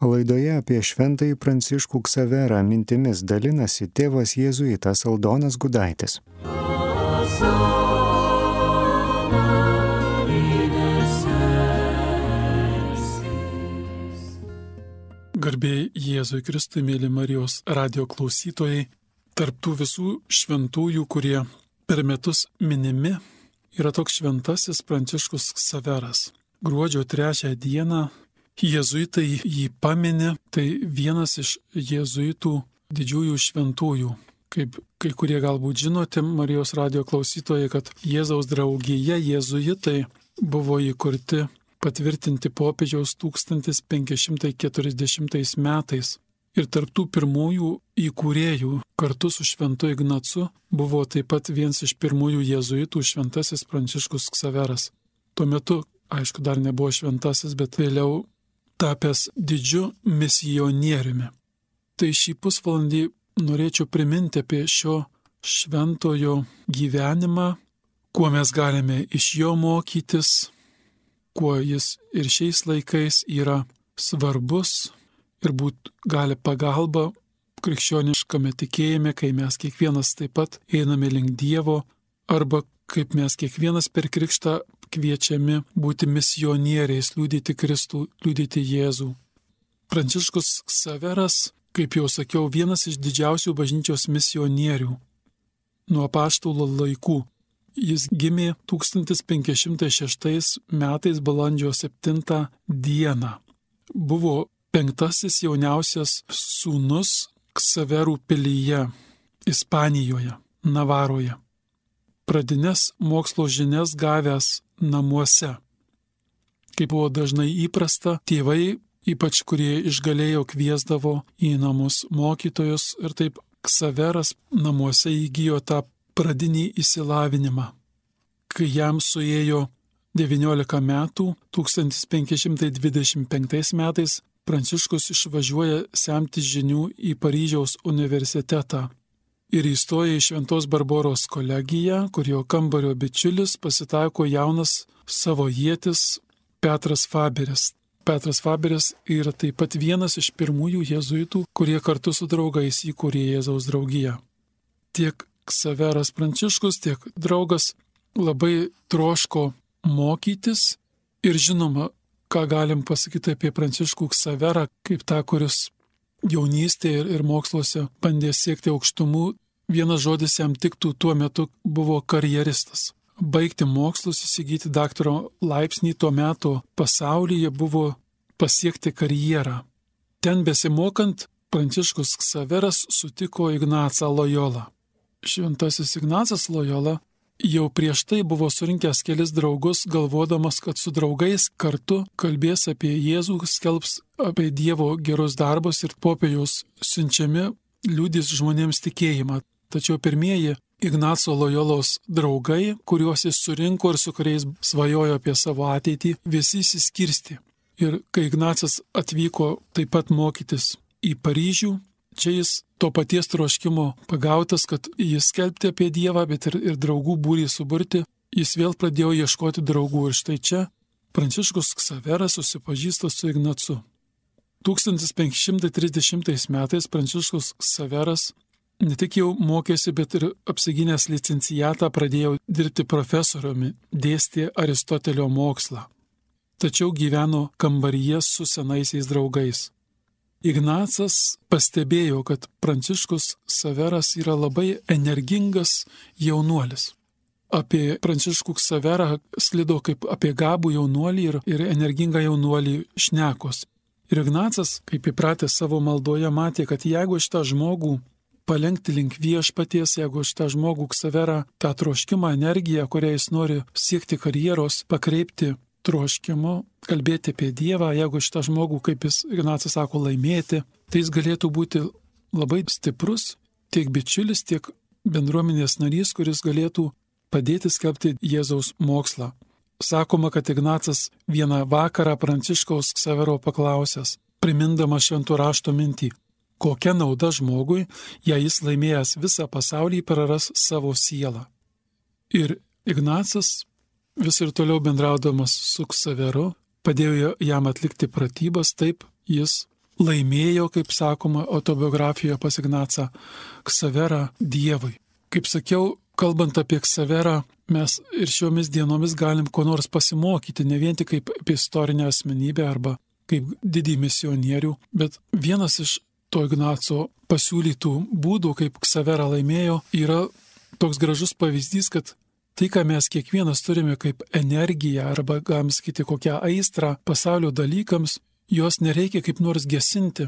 Laidoje apie šventąjį Pranciškų Ksaverą mintimis dalinasi tėvas jėzuitas Aldonas Gudaitis. Garbė Jėzui Kristui, mėly Marijos radijo klausytojai, tarptų visų šventųjų, kurie per metus minimi, yra toks šventasis Pranciškus Ksaveras. Gruodžio 3 dieną jėzuitai jį pamini, tai vienas iš jėzuitų didžiųjų šventųjų. Kaip kai kurie galbūt žinote, Marijos radijo klausytojai, kad Jėzaus draugija jėzuitai buvo įkurti patvirtinti popiežiaus 1540 metais. Ir tarptų pirmųjų įkūrėjų kartu su šventu Ignacu buvo taip pat vienas iš pirmųjų jėzuitų šventasis Pranciškus Ksaveras. Tuo metu, aišku, dar nebuvo šventasis, bet vėliau tapęs didžiu misionieriumi. Tai šį pusvalandį norėčiau priminti apie šio šventojo gyvenimą, kuo mes galime iš jo mokytis, kuo jis ir šiais laikais yra svarbus ir būt gali pagalba krikščioniškame tikėjime, kai mes kiekvienas taip pat einame link Dievo, arba kaip mes kiekvienas per krikštą kviečiami būti misionieriais, liudyti Kristų, liudyti Jėzų. Pranciškus Ksaveras, kaip jau sakiau, vienas iš didžiausių bažnyčios misionierių nuo apaštalų laikų. Jis gimė 1506 metais balandžio 7 dieną. Buvo 5. jauniausias sūnus Ksaverų pilyje, Ispanijoje, Navaroje. Pradines mokslo žinias gavęs namuose. Kaip buvo dažnai įprasta, tėvai, ypač kurie išgalėjo, kviesdavo į namus mokytojus ir taip Ksaveras namuose įgijo tą pradinį išsilavinimą. Kai jam suėjo 19 metų, 1525 metais Pranciškus išvažiuoja semti žinių į Paryžiaus universitetą ir įstoja į Šventos Barboros kolegiją, kurio kambario bičiulis pasitaiko jaunas savojietis Petras Faberis. Petras Faberis yra taip pat vienas iš pirmųjų jėzuitų, kurie kartu su draugais įkūrė Jėzaus draugiją. Tiek Ksaveras Pranciškus, tiek draugas labai troško mokytis ir žinoma, ką galim pasakyti apie Pranciškų Ksaverą, kaip tą, kuris jaunystėje ir moksluose bandė siekti aukštumų, vienas žodis jam tiktų, tuo metu buvo karjeristas. Baigti mokslus, įsigyti daktaro laipsnį tuo metu pasaulyje buvo pasiekti karjerą. Ten besimokant, Pranciškus Ksaveras sutiko Ignacą Lojolą. Šventasis Ignacas Lojola jau prieš tai buvo surinkęs kelis draugus, galvodamas, kad su draugais kartu kalbės apie Jėzų, skelbs apie Dievo gerus darbus ir popiežiaus siunčiami liudys žmonėms tikėjimą. Tačiau pirmieji Ignaco Lojolos draugai, kuriuos jis surinko ir su kuriais svajojo apie savo ateitį, visi išsiskirstė. Ir kai Ignacas atvyko taip pat mokytis į Paryžių, čia jis to paties troškimo pagautas, kad jis skelbti apie Dievą, bet ir draugų būrį suburti, jis vėl pradėjo ieškoti draugų. Ir štai čia Pranciškus Ksaveras susipažįsta su Ignacu. 1530 metais Pranciškus Ksaveras ne tik jau mokėsi, bet ir apsigynęs licencijatą pradėjo dirbti profesoriumi, dėstė Aristotelio mokslą. Tačiau gyveno kambaryje su senaisiais draugais. Ignacas pastebėjo, kad Pranciškus Ksaveras yra labai energingas jaunuolis. Apie Pranciškų Ksaverą sklido kaip apie gabų jaunuolį ir energingą jaunuolį šnekos. Ir Ignacas, kaip įpratęs savo maldoje, matė, kad jeigu šitą žmogų palenkti link viešpaties, jeigu šitą žmogų Ksaverą, tą troškimą, energiją, kurią jis nori siekti karjeros, pakreipti troškimu, kalbėti apie Dievą, jeigu šitą žmogų, kaip jis Ignacas sako, laimėti, tai jis galėtų būti labai stiprus, tiek bičiulis, tiek bendruomenės narys, kuris galėtų padėti skelbti Jėzaus mokslą. Sakoma, kad Ignacas vieną vakarą Pranciškaus Ksavero paklausęs, primindama šventų rašto mintį, kokia nauda žmogui, jei jis laimėjęs visą pasaulį praras savo sielą. Ir Ignacas vis ir toliau bendraudamas su Ksaveru padėjo jam atlikti pratybas, taip jis laimėjo, kaip sakoma autobiografijoje pas Ignacą, Ksaverą Dievui. Kaip sakiau, kalbant apie Ksaverą, mes ir šiomis dienomis galim ko nors pasimokyti, ne vien tik kaip apie istorinę asmenybę arba kaip didį misionierių, bet vienas iš to Ignaco pasiūlytų būdų, kaip Ksaverą laimėjo, yra toks gražus pavyzdys, kad tai, ką mes kiekvienas turime kaip energiją arba, galim sakyti, kokią aistrą pasaulio dalykams, jos nereikia kaip nors gesinti,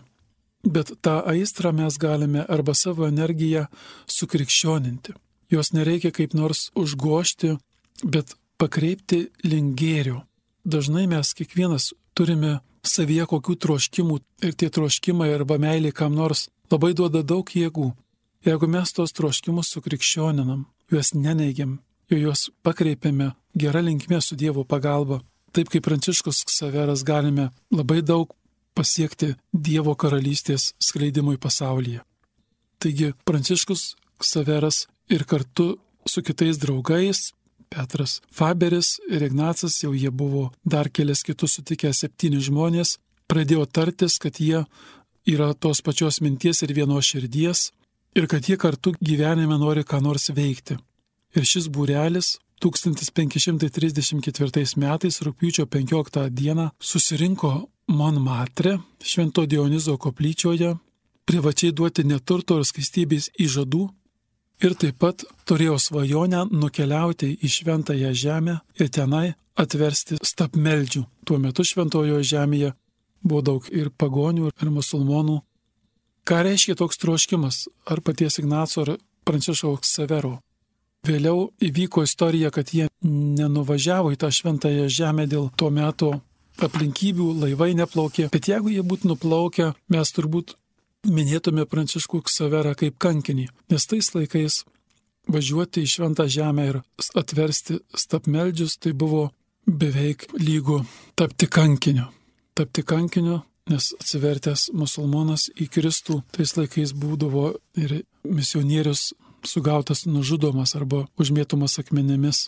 bet tą aistrą mes galime arba savo energiją sukrikščioninti. Jos nereikia kaip nors užgošti, bet pakreipti link gėrio. Dažnai mes kiekvienas turime savyje kokių troškimų ir tie troškimai arba meilė kam nors labai duoda daug jėgų. Jeigu mes tos troškimus sukrikščioninam, juos neneigiam, juos pakreipiame gerą linkmę su Dievo pagalba, taip kaip Pranciškus Ksaveras galime labai daug pasiekti Dievo karalystės skleidimui pasaulyje. Taigi Pranciškus Ksaveras ir kartu su kitais draugais, Petras Faberis ir Ignacas, jau jie buvo dar kelias kitus sutikę 7 žmonės, pradėjo tartis, kad jie yra tos pačios minties ir vienos širdies ir kad jie kartu gyvenime nori ką nors veikti. Ir šis būrelis 1534 metais rugpjūčio 15 dieną susirinko Monmartre, Švento Dionizo koplyčioje, privačiai duoti neturto ir skaistybės įžadų ir taip pat turėjo svajonę nukeliauti į Šventąją žemę ir tenai atversti stabmeldžių. Tuo metu Šventojoje žemėje buvo daug ir pagonių, ir musulmonų. Ką reiškia toks troškimas? Ar paties Ignaco, ar Pranciškaus Ksavero? Vėliau įvyko istorija, kad jie nenuvažiavo į tą Šventąją žemę dėl to meto aplinkybių, laivai neplaukė. Bet jeigu jie būtų nuplaukę, mes turbūt minėtume Pranciškų Ksaverą kaip kankinį, nes tais laikais važiuoti į Šventą žemę ir atversti stabmeldžius tai buvo beveik lygu tapti kankiniu. Tapti kankiniu, nes atsivertęs musulmonas į Kristų tais laikais būdavo ir misionierius sugautas nužudomas arba užmėtomas akmenimis.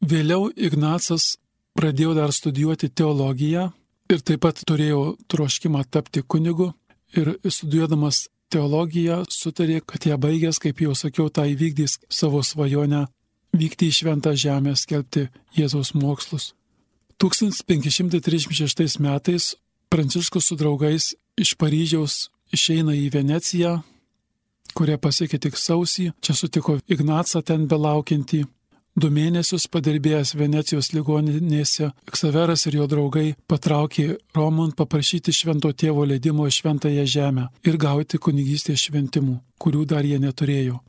Vėliau Ignacas pradėjo dar studijuoti teologiją ir taip pat turėjo troškimą tapti kunigu. Ir studijuodamas teologiją sutarė, kad ją baigęs, kaip jau sakiau, tą įvykdys savo svajonę vykti į Šventą žemę, skelbti Jėzaus mokslus. 1536 metais Pranciškus su draugais iš Paryžiaus išeina į Veneciją, kurią pasiekė tik sausį. Čia sutiko Ignacą ten belaukiantį. 2 mėnesius padirbėjęs Venecijos ligoninėse, Ksaveras ir jo draugai patraukė Romon paprašyti Švento Tėvo leidimo į Šventąją žemę ir gauti kunigystės šventimų, kurių dar jie neturėjo.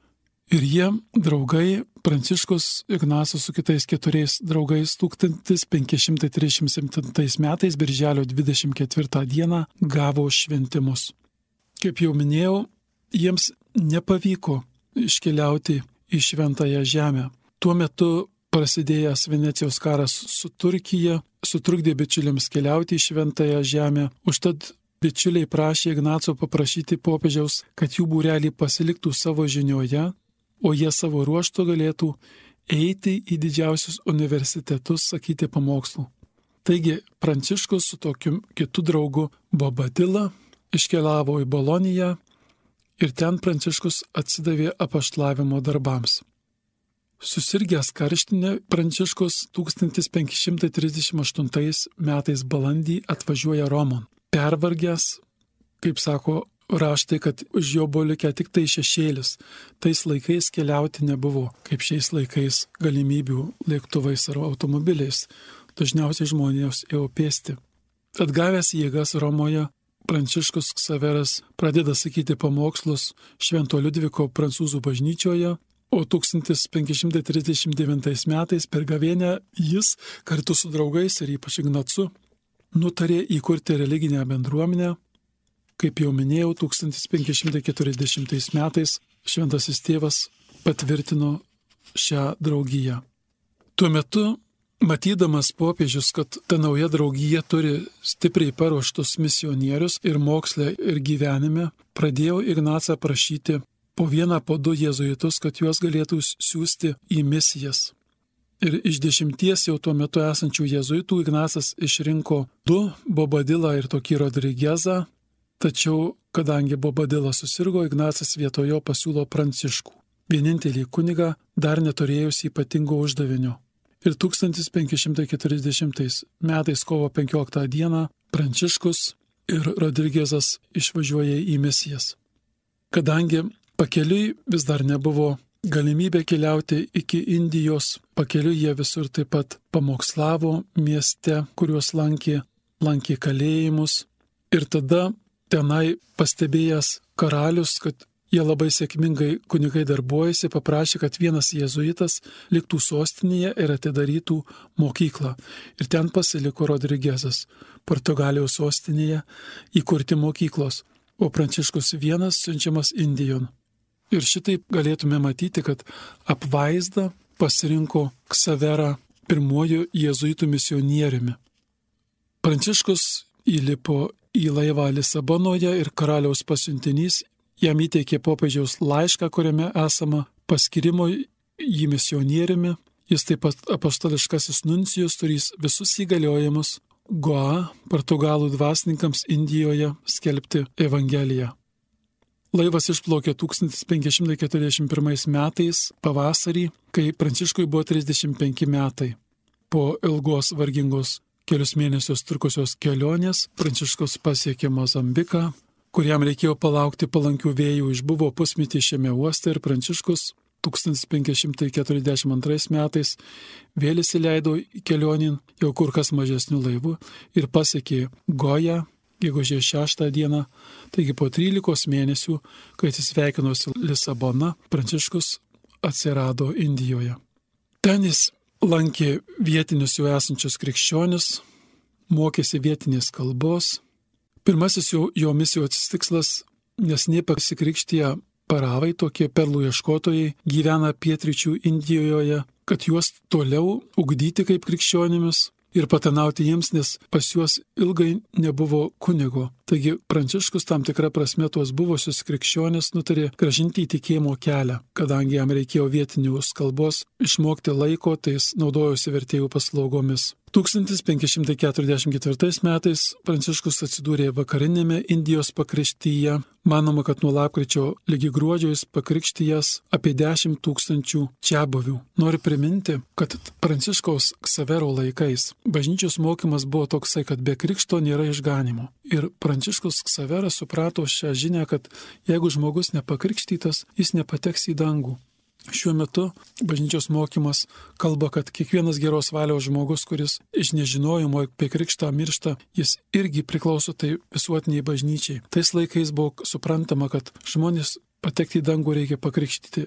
Ir jie, draugai, Pranciškus, Ignacas su kitais 4 draugais 1537 metais, birželio 24 dieną, gavo šventimus. Kaip jau minėjau, jiems nepavyko iškeliauti į Šventąją žemę. Tuo metu prasidėjęs Venecijos karas su Turkija sutrukdė bičiuliams keliauti į Šventąją žemę. Užtat bičiuliai prašė Ignaco paprašyti popiežiaus, kad jų būrelį pasiliktų savo žinioje, o jie savo ruožtu galėtų eiti į didžiausius universitetus sakyti pamokslų. Taigi Pranciškus su tokiu kitu draugu Bobadila iškeliavo į Boloniją ir ten Pranciškus atsidavė apaštlavimo darbams. Susirgęs karštinę, Pranciškus 1538 metais balandį atvažiuoja Romon. Pervargęs, kaip sako raštai, kad už jo buvo likę tik tai šešėlis. Tais laikais keliauti nebuvo, kaip šiais laikais galimybių lėktuvais ar automobiliais. Dažniausiai žmonės ėjo pėsti. Atgavęs jėgas Romoje, Pranciškus Ksaveras pradeda sakyti pamokslus Švento Liudviko prancūzų bažnyčioje, o 1539 metais per gavėnią jis kartu su draugais ir ypač Ignacu nutarė įkurti religinę bendruomenę. Kaip jau minėjau, 1540 metais Šventasis Tėvas patvirtino šią draugiją. Tuo metu, matydamas popiežius, kad ta nauja draugija turi stipriai paruoštus misionierius ir moksle, ir gyvenime, pradėjo Ignacą prašyti po 1, po 2 jėzuitus, kad juos galėtų siųsti į misijas. Ir iš 10 jau tuo metu esančių jėzuitų Ignacas išrinko 2, Bobadilą ir tokį Rodrigezą, tačiau kadangi Bobadila susirgo, Ignacas vietojo pasiūlo Pranciškų, vienintelį kunigą dar neturėjusį ypatingo uždavinio. Ir 1540 metais kovo 15 dieną Pranciškus ir Rodrigezas išvažiuoja į misijas. Kadangi pakeliui vis dar nebuvo galimybė keliauti iki Indijos, pakeliui jie visur taip pat pamokslavo mieste, kuriuos lankė kalėjimus. Ir tada tenai pastebėjęs karalius, kad jie labai sėkmingai kunigai darbuojasi, paprašė, kad vienas jėzuitas liktų sostinėje ir atidarytų mokyklą. Ir ten pasiliko Rodrigezas, Portugalijos sostinėje, įkurti mokyklos, o Pranciškus vienas siunčiamas Indijon. Ir šitaip galėtume matyti, kad apvaizda pasirinko Ksaverą pirmuoju jėzuitų misionieriumi. Pranciškus įlipo į laivą Lisabonoje ir karaliaus pasiuntinys jam įteikė popiežiaus laišką, kuriame esama paskirimo jį misionieriumi. Jis taip pat apaštališkasis nuncijus turės visus įgaliojimus Goa, portugalų dvasininkams Indijoje skelbti Evangeliją. Laivas išplaukė 1541 metais pavasarį, kai Pranciškui buvo 35 metai. Po ilgos vargingos kelius mėnesius trukusios kelionės Pranciškus pasiekė Mozambiką, kuriam reikėjo palaukti palankių vėjų, išbuvo pusmetį šiame uoste ir Pranciškus 1542 metais vėl įsileido kelionin jau kur kas mažesnių laivų ir pasiekė Goją gegužės 6 dieną, taigi po 13 mėnesių, kai atsisveikinosi Lisabona, Pranciškus atsirado Indijoje. Ten jis lankė vietinius jau esančius krikščionis, mokėsi vietinės kalbos. Pirmasis jo misijos tikslas, nes nepasikrikštiję paravai, tokie perlų ieškotojai, gyvena pietryčių Indijoje, kad juos toliau ugdyti kaip krikščionimis ir patarnauti jiems, nes pas juos ilgai nebuvo kunigo. Taigi Pranciškus tam tikrą prasme tuos buvusius krikščionis nutarė grąžinti į tikėjimo kelią. Kadangi jam reikėjo vietinius kalbos išmokti laiko, tai jis naudojosi vertėjų paslaugomis. 1544 metais Pranciškus atsidūrė vakarinėme Indijos pakraštyje. Manoma, kad nuo lapkričio ligi gruodžio jis pakrikštijęs apie 10 000 čiabuvių. Noriu priminti, kad Pranciškaus Ksavero laikais bažnyčios mokymas buvo toksai, kad be krikšto nėra išganimo. Ir Pranciškus Ksaveras suprato šią žinią, kad jeigu žmogus nepakrikštytas, jis nepateks į dangų. Šiuo metu bažnyčios mokymas kalba, kad kiekvienas geros valios žmogus, kuris iš nežinojimo apie krikštą miršta, jis irgi priklauso tai visuotiniai bažnyčiai. Tais laikais buvo suprantama, kad žmonės patekti į dangų reikia pakrikštyti.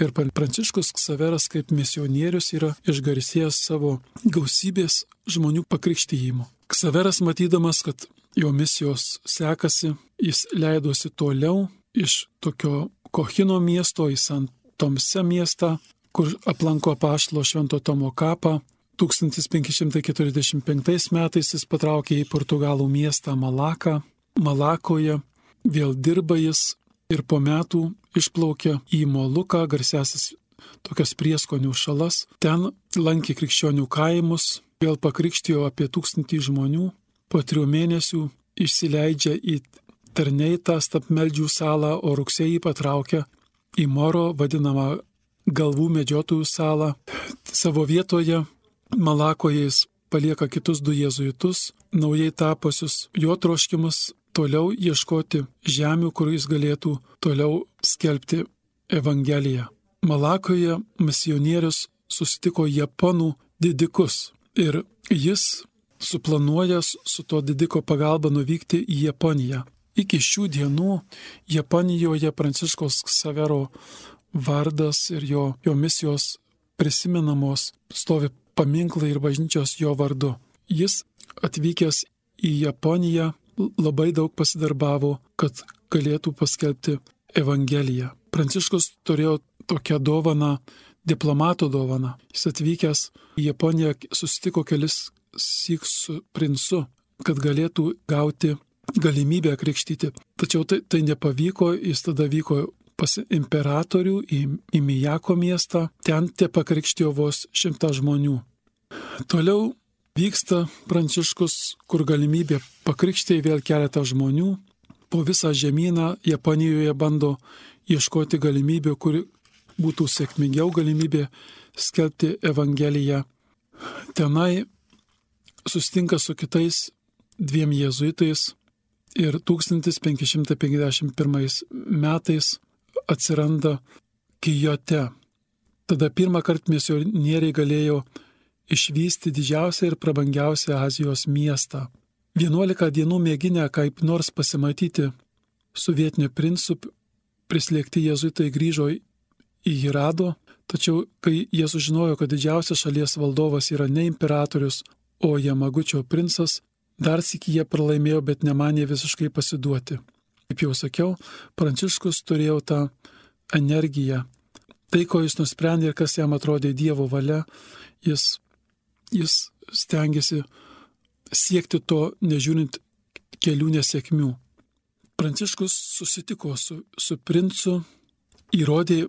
Ir Pranciškus Ksaveras kaip misionierius yra išgarsėjęs savo gausybės žmonių pakrikštijimu. Ksaveras, matydamas, kad jo misijos sekasi, jis leidosi toliau iš tokio Kohino miesto į Sant Tomse miestą, kur aplanko apaštalo Švento Tomo kapą. 1545 metais jis patraukė į portugalų miestą Malaką. Malakoje vėl dirba jis ir po metų išplaukė į Moluką, garsiasis tokias prieskonių šalas. Ten lankė krikščionių kaimus, vėl pakrikštijo apie 1000 žmonių. Po 3 mėnesių išsileidžia į Terneitą Stapmeldžių salą, o rugsėjį patraukia į Moro, vadinamą galvų medžiotojų salą. Savo vietoje Malakoje jis palieka kitus 2 jėzuitus, naujai tapusius. Jo troškimas toliau ieškoti žemių, kur jis galėtų toliau skelbti Evangeliją. Malakoje misionierius susitiko japonų didikus ir jis suplanuoja su to didiko pagalba nuvykti į Japoniją. Iki šių dienų Japonijoje Pranciškaus Ksavero vardas ir jo misijos prisimenamos, stovi paminklai ir bažnyčios jo vardu. Jis atvykęs į Japoniją labai daug pasidarbavo, kad galėtų paskelbti Evangeliją. Pranciškus turėjo tokią dovaną, diplomato dovaną. Jis atvykęs į Japoniją susitiko kelis syk su princu, kad galėtų gauti galimybę krikštyti. Tačiau tai nepavyko, jis tada vyko pas imperatorių į Mijako miestą, ten te pakrikštijo vos 100 žmonių. Toliau vyksta Pranciškus, kur galimybė pakrikštyti vėl keletą žmonių. po visą žemyną Japonijoje bando ieškoti galimybių, kuri būtų sėkmingiau galimybė skelbti Evangeliją. Tenai susitinka su kitais 2 jėzuitais ir 1551 metais atsiranda Kijote. Tada pirmą kartą misionieriai galėjo išvysti didžiausią ir prabangiausią Azijos miestą. 11 dienų mėginę kaip nors pasimatyti su vietiniu princu, prislėgti jėzuitai grįžo į Hirado, tačiau kai jie sužinojo, kad didžiausias šalies valdovas yra ne imperatorius, o Jamagučio princas, dar sykį jie pralaimėjo, bet nemanė visiškai pasiduoti. Kaip jau sakiau, Pranciškus turėjo tą energiją. Tai, ko jis nusprendė ir kas jam atrodė Dievo valia, jis stengiasi siekti to, nežiūrint kelių nesėkmių. Pranciškus susitiko su princu, įrodė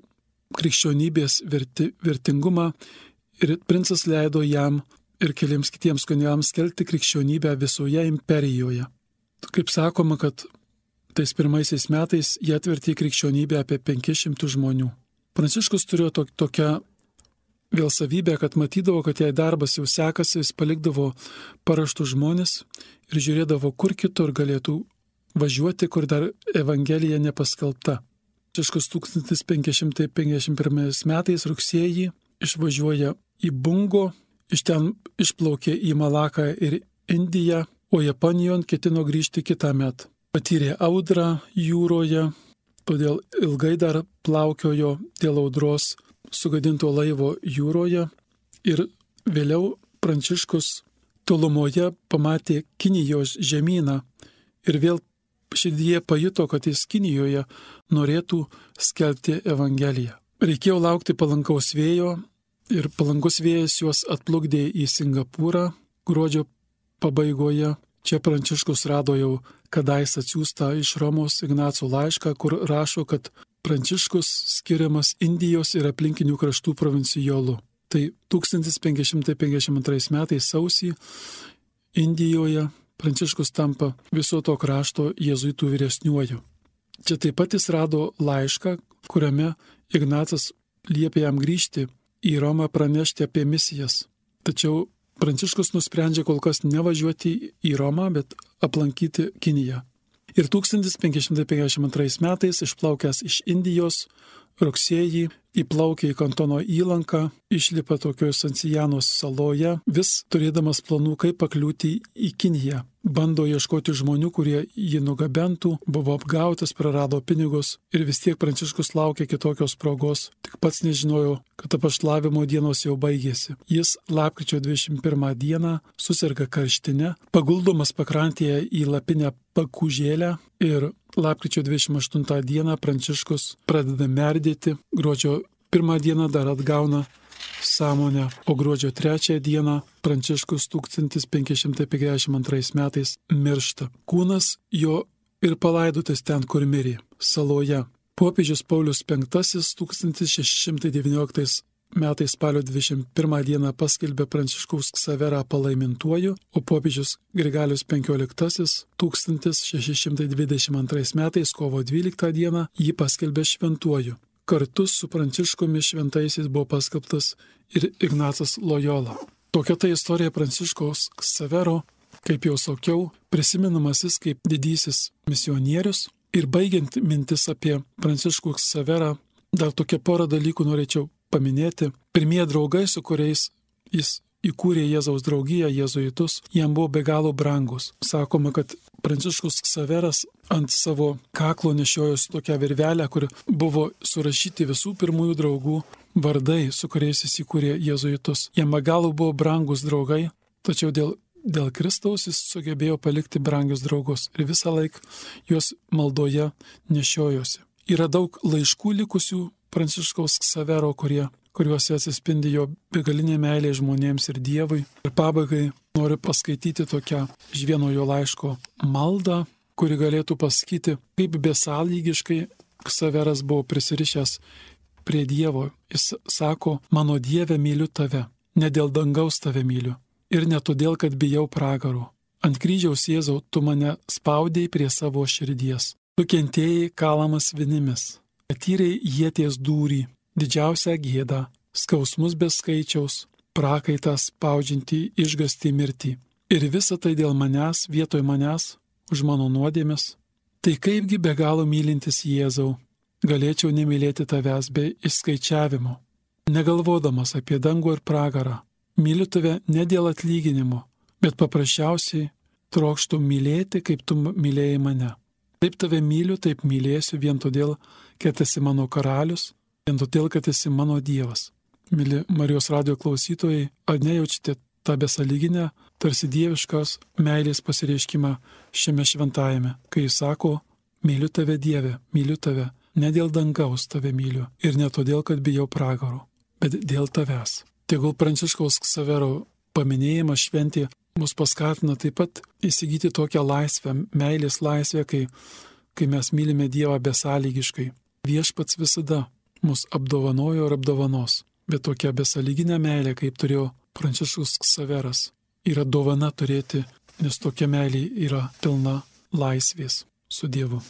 krikščionybės vertingumą ir princas leido jam ir keliams kitiems kunigams skelbti krikščionybę visoje imperijoje. Kaip sakoma, kad tais pirmaisiais metais jie atvertė krikščionybę apie 500 žmonių. Pranciškus turėjo tokią vėl savybę, kad matydavo, kad jei darbas jau sekasi, jis palikdavo paraštų žmonės ir žiūrėdavo, kur kitur galėtų važiuoti, kur dar Evangelija nepaskelbta. Pranciškus 1551 metais rugsėjį išvažiuoja į Bungo, iš ten išplaukė į Malaką ir Indiją, o Japonijon ketino grįžti kitą metą. Patyrė audrą jūroje, todėl ilgai dar plaukiojo dėl audros sugadinto laivo jūroje ir vėliau Pranciškus tolumoje pamatė Kinijos žemyną ir vėl širdyje pajuto, kad jis Kinijoje norėtų skelbti Evangeliją. Reikėjo laukti palankaus vėjo ir palankus vėjas juos atplukdė į Singapūrą gruodžio pabaigoje. Čia Pranciškus rado jau kadais atsiųstą iš Romos Ignaco laišką, kur rašo, kad Pranciškus skiriamas Indijos ir aplinkinių kraštų provincijolu. Tai 1552 metais sausį Indijoje Pranciškus tampa viso to krašto jėzuitų vyresniuoju. Čia taip pat jis rado laišką, kuriame Ignacas liepė jam grįžti į Romą pranešti apie misijas. Tačiau Pranciškus nusprendžia kol kas nevažiuoti į Romą, bet aplankyti Kiniją. Ir 1552 metais išplaukęs iš Indijos rugsėjį įplaukė į Kantono įlanką, išlipa tokioje Sancijanos saloje, vis turėdamas planų, kaip pakliūti į Kiniją. Bando ieškoti žmonių, kurie jį nugabentų, buvo apgautas, prarado pinigus ir vis tiek Pranciškus laukė kitokios progos, tik pats nežinojo, kad apaštalavimo dienos jau baigėsi. Jis lapkričio 21 dieną susirga karštine, paguldomas pakrantėje į lapinę pakūžėlę ir lapkričio 28 dieną Pranciškus pradeda merdėti, gruodžio 1 dieną dar atgauna sąmonę, o gruodžio 3 dieną Pranciškus 1552 metais miršta. Kūnas jo ir palaidotas ten, kur mirė, saloje. Popiežius Paulius V 1619 metais spalio 21 dieną paskelbė Pranciškaus Ksaverą palaimintuoju, o popiežius Grigalius XV 1622 metais kovo 12 dieną jį paskelbė šventuoju. Kartu su Pranciškumi šventaisiais buvo paskelbtas ir Ignacas Lojola. Tokia ta istorija Pranciškaus Ksavero, kaip jau sakiau, prisimenamas jis kaip didysis misionierius. Ir baigiant mintis apie Pranciškų Ksaverą, dar tokia porą dalykų norėčiau paminėti. Pirmieji draugai, su kuriais jis įkūrė Jėzaus draugiją, jėzuitus, jam buvo be galo brangus. Sakoma, kad Pranciškus Ksaveras ant savo kaklo nešiojosi tokią virvelę, kur buvo surašyti visų pirmųjų draugų vardai, su kuriais jis įkūrė jėzuitus. Jam be galo buvo brangus draugai, tačiau dėl Kristaus jis sugebėjo palikti brangius draugus ir visą laiką juos maldoje nešiojosi. Yra daug laiškų likusių Pranciškaus Ksavero, kuriuose atsispindi jo begalinė meilė žmonėms ir Dievui. Ir pabaigai noriu paskaityti tokią iš vieno jo laiško maldą, kuri galėtų pasakyti, kaip besąlygiškai Ksaveras buvo prisirišęs prie Dievo. Jis sako, mano Dieve myliu tave, ne dėl dangaus tave myliu ir ne todėl, kad bijau pragaro. Ant kryžiaus Jėzau, tu mane spaudėjai prie savo širdies. Tu kentėjai kalamas vinimis. Patyrei ieties dūrį, didžiausią gėdą, skausmus be skaičiaus, prakaitą spaudžiantį išgąstį mirtį. Ir visa tai dėl manęs, vietoj manęs, už mano nuodėmes. Tai kaipgi be galo mylintis Jėzau, galėčiau nemylėti tavęs be išskaičiavimo, negalvodamas apie dangų ir pragarą. Myliu tave ne dėl atlyginimo, bet paprasčiausiai trokštu mylėti, kaip tu mylėjai mane. Taip tave myliu, taip mylėsiu vien todėl, kad esi mano karalius, vien todėl, kad esi mano Dievas. Mili Marijos radijo klausytojai, ar nejaučiate tą besąlyginę, tarsi dieviškos meilės pasireiškimą šiame šventajame, kai jis sako, myliu tave Dieve, myliu tave, ne dėl dangaus tave myliu ir ne todėl, kad bijau pragaro, bet dėl tavęs. Tegul Pranciškaus Ksavero paminėjimas šventė mus paskatina taip pat įsigyti tokią laisvę, meilės laisvę, kai mes mylime Dievą besąlygiškai. Viešpats visada mus apdovanojo ir apdovanos, bet tokia besąlyginė meilė, kaip turėjo Pranciškus Ksaveras, yra dovana turėti, nes tokia meilė yra pilna laisvės su Dievu.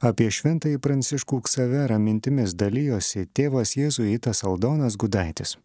Apie šventąjį Pranciškų Ksaverą mintimis dalijosi tėvas jėzuitas Aldonas Gudaitis.